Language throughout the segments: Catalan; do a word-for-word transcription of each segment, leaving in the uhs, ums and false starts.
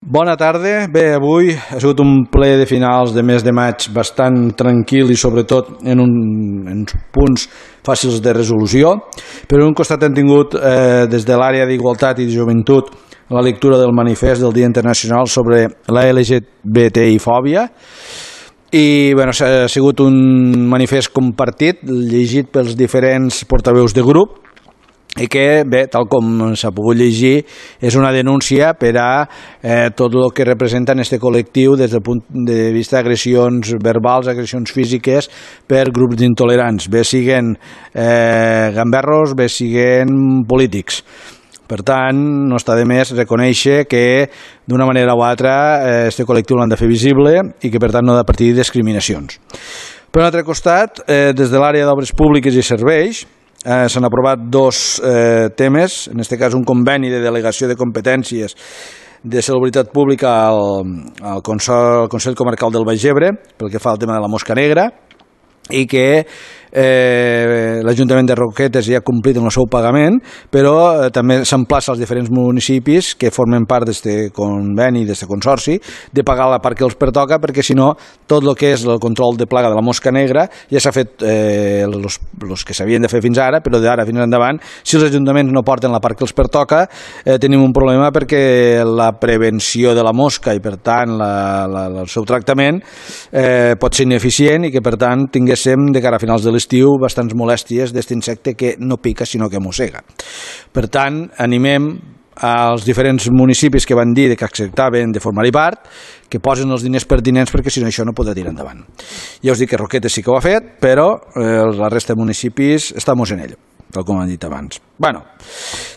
Bona tarda. Bé, avui ha sigut un ple de finals de mes de maig bastant tranquil i sobretot en, un, en punts fàcils de resolució. Per un costat hem tingut eh, des de l'àrea d'Igualtat i de Joventut la lectura del manifest del Dia Internacional sobre la L G B T I-fòbia i bueno, ha sigut un manifest compartit, llegit pels diferents portaveus de grup i que, bé, tal com s'ha pogut llegir, és una denúncia per a eh, tot el que representa en aquest col·lectiu des del punt de vista d'agressions verbals, agressions físiques per grups d'intolerants, bé siguen eh, gamberros, bé siguen polítics. Per tant, no està de més reconèixer que d'una manera o altra aquest eh, col·lectiu l'han de fer visible i que per tant no ha de partir de discriminacions. Per un altre costat, eh, des de l'àrea d'obres públiques i serveis, Eh, s'han aprovat dos eh, temes, en aquest cas un conveni de delegació de competències de salubritat pública al, al Consell, al Consell Comarcal del Baix Ebre, pel que fa al tema de la mosca negra, i que eh, l'Ajuntament de Roquetes ja ha complit amb el seu pagament, però eh, també s'emplaça als diferents municipis que formen part d'aquest conveni, d'aquest consorci, de pagar la part que els pertoca, perquè si no, tot el que és el control de plaga de la mosca negra ja s'ha fet eh, els, els que s'havien de fer fins ara, però d'ara fins endavant, si els ajuntaments no porten la part que els pertoca, eh, tenim un problema perquè la prevenció de la mosca i per tant la, la, el seu tractament eh, pot ser ineficient i que per tant tinguéssim de cara a finals de l'estiu bastants molèsties d'aquest insecte que no pica sinó que mossega. Per tant, animem als diferents municipis que van dir que acceptaven de formar-hi part, que posen els diners pertinents perquè si no això no podrà tirar endavant. Ja us dic que Roquetes sí que ho ha fet, però eh, la resta de municipis estem en ello, tal com han dit abans. Bueno,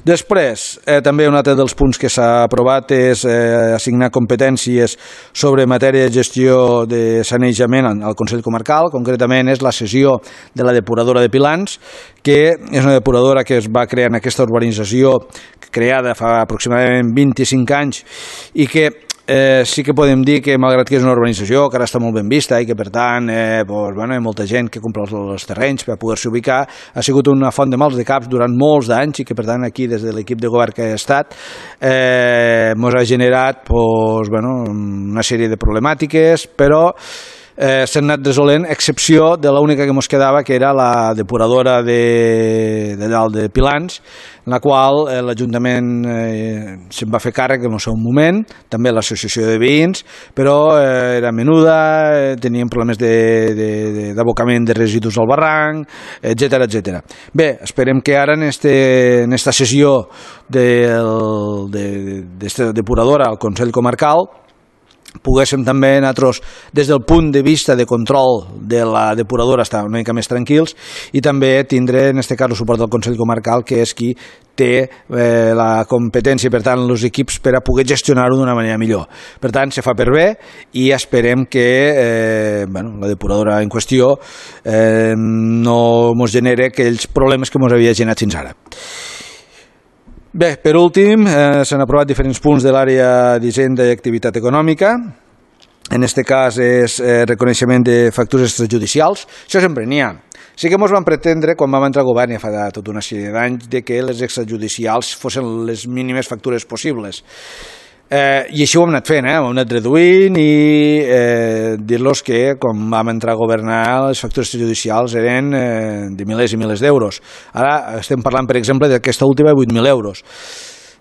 després, eh, també un altre dels punts que s'ha aprovat és eh, assignar competències sobre matèria de gestió de sanejament al Consell Comarcal, concretament és la cessió de la depuradora de Pilans, que és una depuradora que es va crear en aquesta urbanització creada fa aproximadament vint-i-cinc anys i que Eh, sí que podem dir que, malgrat que és una urbanització que ara està molt ben vista i que, per tant, eh, doncs, bueno, hi ha molta gent que compra els, els terrenys per poder-se ubicar, ha sigut una font de mals de caps durant molts d'anys i que, per tant, aquí, des de l'equip de govern que ha estat, eh, ens ha generat doncs, bueno, una sèrie de problemàtiques, però eh, s'han anat resolent, a excepció de l'única que ens quedava, que era la depuradora de, de dalt de Pilans, en la qual eh, l'Ajuntament eh, se'n va fer càrrec en el seu moment, també l'associació de veïns, però eh, era menuda, eh, tenien problemes d'abocament de, de, de residus al barranc, etcètera, etcètera. Bé, esperem que ara en aquesta sessió d'aquesta depuradora al Consell Comarcal poguéssim també nosaltres, des del punt de vista de control de la depuradora, estar una mica més tranquils i també tindre, en aquest cas, el suport del Consell Comarcal, que és qui té eh, la competència, per tant, els equips per a poder gestionar-ho d'una manera millor. Per tant, se fa per bé i esperem que eh, bueno, la depuradora en qüestió eh, no ens genere aquells problemes que ens havia generat fins ara. Bé, per últim, eh, s'han aprovat diferents punts de l'àrea d'Hisenda i Activitat Econòmica. En aquest cas és eh, reconeixement de factures extrajudicials. Això sempre n'hi ha. Sí que ens van pretendre, quan vam entrar al govern ja fa tota una sèrie d'anys, que les extrajudicials fossin les mínimes factures possibles. Eh, I així ho hem anat fent, eh? ho hem anat reduint i eh, dir-los que quan vam entrar a governar les factures judicials eren eh, de milers i milers d'euros. Ara estem parlant, per exemple, d'aquesta última de vuit mil euros.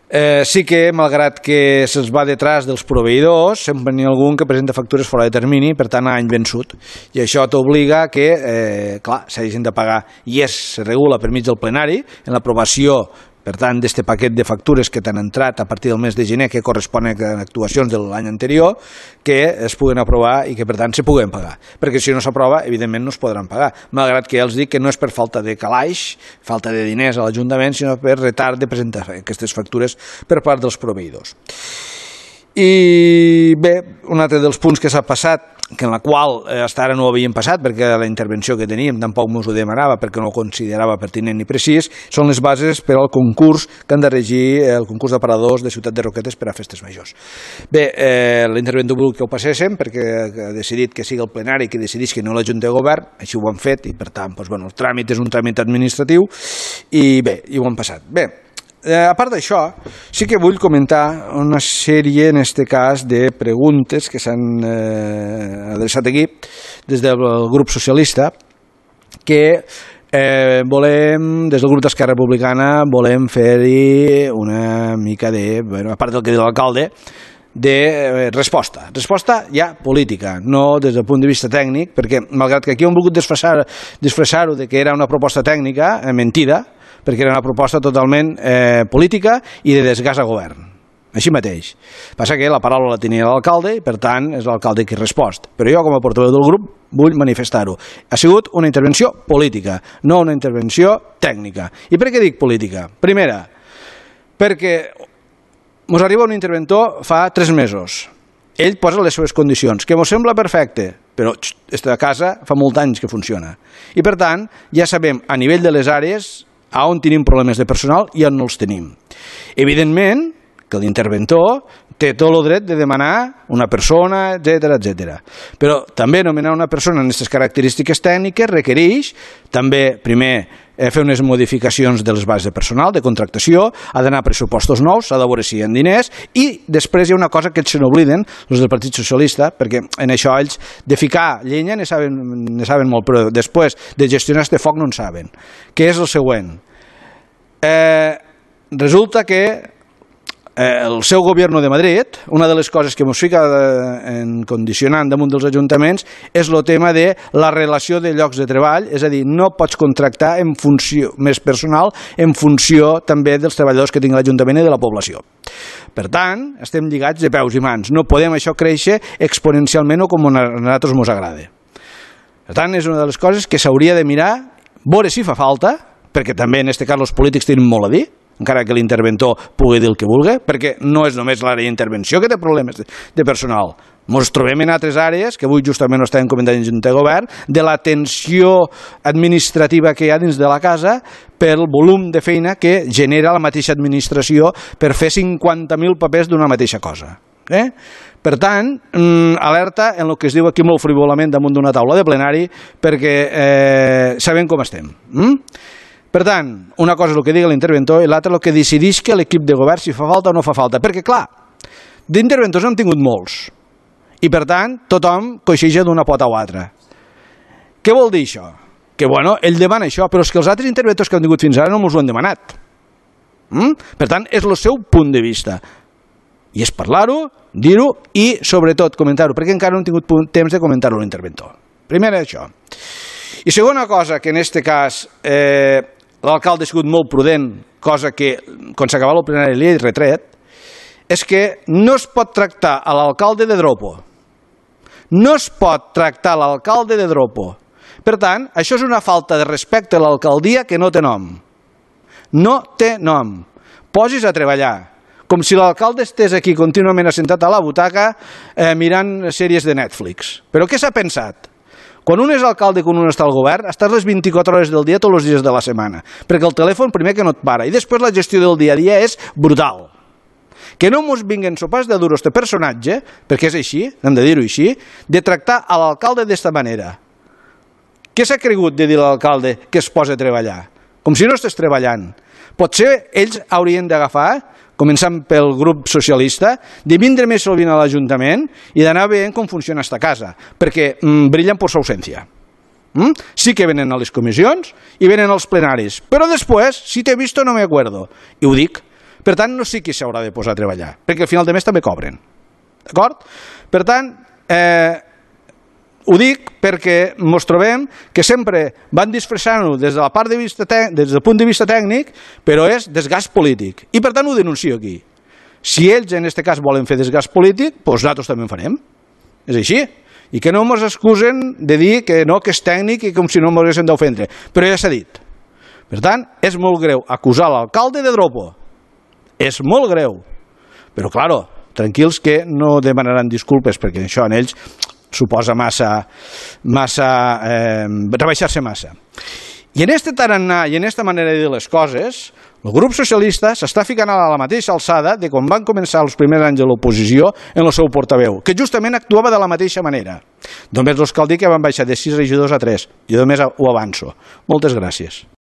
Eh, sí que, malgrat que se'ls va detrás dels proveïdors, sempre n'hi ha algun que presenta factures fora de termini, per tant, a any vençut. I això t'obliga que, eh, clar, s'hagin de pagar, i és, se regula per mig del plenari, en l'aprovació, per tant, d'aquest paquet de factures que t'han entrat a partir del mes de gener, que corresponen a actuacions de l'any anterior, que es puguen aprovar i que, per tant, se puguen pagar. Perquè si no s'aprova, evidentment no es podran pagar. Malgrat que ja els dic que no és per falta de calaix, falta de diners a l'Ajuntament, sinó per retard de presentar aquestes factures per part dels proveïdors. I bé, un altre dels punts que s'ha passat, que en la qual eh, fins ara no ho havíem passat perquè la intervenció que teníem tampoc ens ho demanava perquè no ho considerava pertinent ni precís, són les bases per al concurs que han de regir el concurs d'aparadors de Ciutat de Roquetes per a festes majors. Bé, eh, l'interventor vol que ho passéssim perquè ha decidit que sigui el plenari que decidís que no la Junta de Govern, així ho han fet i per tant doncs, bueno, el tràmit és un tràmit administratiu i bé, i ho han passat. Bé, a part d'això, sí que vull comentar una sèrie, en aquest cas, de preguntes que s'han eh, adreçat aquí des del grup socialista, que eh, volem, des del grup d'Esquerra Republicana, volem fer-hi una mica de, bueno, a part del que diu l'alcalde, de resposta, resposta ja política, no des del punt de vista tècnic, perquè malgrat que aquí hem volgut disfressar-ho disfressar de que era una proposta tècnica, eh, mentida, perquè era una proposta totalment eh, política i de desgast a govern, així mateix. Passa que la paraula la tenia l'alcalde i per tant és l'alcalde qui respost, però jo com a portaveu del grup vull manifestar-ho. Ha sigut una intervenció política, no una intervenció tècnica. I per què dic política? Primera, perquè ens arriba un interventor fa tres mesos. Ell posa les seves condicions, que ens sembla perfecte, però aquesta casa fa molts anys que funciona. I per tant, ja sabem a nivell de les àrees a on tenim problemes de personal i on no els tenim. Evidentment que l'interventor té tot el dret de demanar una persona, etcètera, etcètera. Però també nomenar una persona amb aquestes característiques tècniques requereix també, primer, fer unes modificacions de les bases de personal, de contractació, ha d'anar a pressupostos nous, s'ha de veure si hi ha diners, i després hi ha una cosa que ells se n'obliden, els del Partit Socialista, perquè en això ells de ficar llenya ne saben, ne saben molt, però després de gestionar este foc no en saben. Què és el següent? Eh, resulta que el seu govern de Madrid, una de les coses que ens fica en condicionant damunt dels ajuntaments és el tema de la relació de llocs de treball, és a dir, no pots contractar en funció més personal en funció també dels treballadors que tingui l'Ajuntament i de la població. Per tant, estem lligats de peus i mans. No podem això créixer exponencialment o com a nosaltres ens agrada. Per tant, és una de les coses que s'hauria de mirar, veure si fa falta, perquè també en aquest cas els polítics tenen molt a dir, encara que l'interventor pugui dir el que vulgui, perquè no és només l'àrea d'intervenció que té problemes de personal. Ens trobem en altres àrees, que avui justament ho estàvem comentant en Junta de Govern, de la tensió administrativa que hi ha dins de la casa pel volum de feina que genera la mateixa administració per fer cinquanta mil papers d'una mateixa cosa. Eh? Per tant, alerta en el que es diu aquí molt frivolament damunt d'una taula de plenari, perquè eh, sabem com estem. Mm? Per tant, una cosa és el que digui l'interventor i l'altra el que decideix que l'equip de govern si fa falta o no fa falta. Perquè, clar, d'interventors n'hem tingut molts. I, per tant, tothom coixiga d'una pota o altra. Què vol dir això? Que, bueno, ell demana això, però és que els altres interventors que han tingut fins ara no ens ho han demanat. Mm? Per tant, és el seu punt de vista. I és parlar-ho, dir-ho i, sobretot, comentar-ho, perquè encara no hem tingut temps de comentar-ho l'interventor. Primer, això. I segona cosa, que en aquest cas eh, l'alcalde ha sigut molt prudent, cosa que, quan s'acabava el plenari li he retret, és que no es pot tractar a l'alcalde de dropo. No es pot tractar a l'alcalde de dropo. Per tant, això és una falta de respecte a l'alcaldia que no té nom. No té nom. Posis a treballar. Com si l'alcalde estés aquí contínuament assentat a la butaca eh, mirant sèries de Netflix. Però què s'ha pensat? Quan un és alcalde i quan un està al govern, estàs les vint-i-quatre hores del dia tots els dies de la setmana, perquè el telèfon primer que no et para i després la gestió del dia a dia és brutal. Que no mos vinguen sopars de duro este personatge, perquè és així, hem de dir-ho així, de tractar a l'alcalde d'esta manera. Què s'ha cregut de dir a l'alcalde que es posa a treballar? Com si no estàs treballant. Potser ells haurien d'agafar, començant pel grup socialista, de vindre més sovint a l'Ajuntament i d'anar veient com funciona esta casa, perquè mm, brillen per su ausència. Mm? Sí que venen a les comissions i venen als plenaris, però després, si t'he visto no me acuerdo. I ho dic. Per tant, no sé qui s'haurà de posar a treballar, perquè al final de mes també cobren. D'acord? Per tant, eh, ho dic perquè ens trobem que sempre van disfressant-ho des de la part de vista des del punt de vista tècnic, però és desgast polític. I per tant ho denuncio aquí. Si ells en aquest cas volen fer desgast polític, doncs nosaltres també en farem. És així. I que no ens excusen de dir que no, que és tècnic i com si no ens haguessin d'ofendre. Però ja s'ha dit. Per tant, és molt greu acusar l'alcalde de dropo. És molt greu. Però, claro, tranquils que no demanaran disculpes perquè això en ells suposa massa, massa eh, rebaixar-se massa. I en este tarannà i en esta manera de dir les coses, el grup socialista s'està ficant a la mateixa alçada de quan van començar els primers anys de l'oposició en el seu portaveu, que justament actuava de la mateixa manera. Només els cal dir que van baixar de sis regidors a tres. Jo només ho avanço. Moltes gràcies.